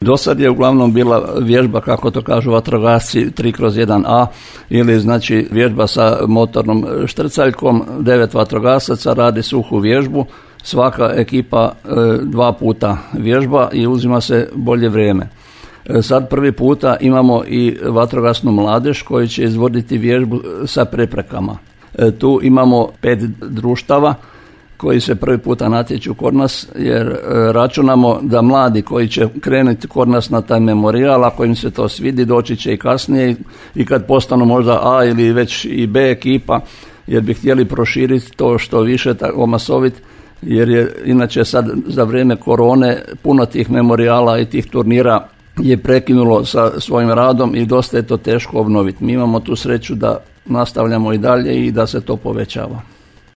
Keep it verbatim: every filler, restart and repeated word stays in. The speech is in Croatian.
Do sad je uglavnom bila vježba, kako to kažu vatrogasci, tri kroz jedan a ili znači vježba sa motornom štrcaljkom, devet vatrogasaca radi suhu vježbu, svaka ekipa e, dva puta vježba i uzima se bolje vrijeme. E, sad prvi puta imamo i vatrogasnu mladež koji će izvoditi vježbu sa preprekama. E, tu imamo pet društava koji se prvi puta natječu kod nas, jer e, računamo da mladi koji će krenuti kod nas na taj memorijal, ako im se to svidi, doći će i kasnije i kad postanu možda A ili već i B ekipa, jer bi htjeli proširiti to što više, omasoviti, jer je inače sad za vrijeme korone puno tih memorijala i tih turnira je prekinulo sa svojim radom i dosta je to teško obnoviti. Mi imamo tu sreću da nastavljamo i dalje i da se to povećava.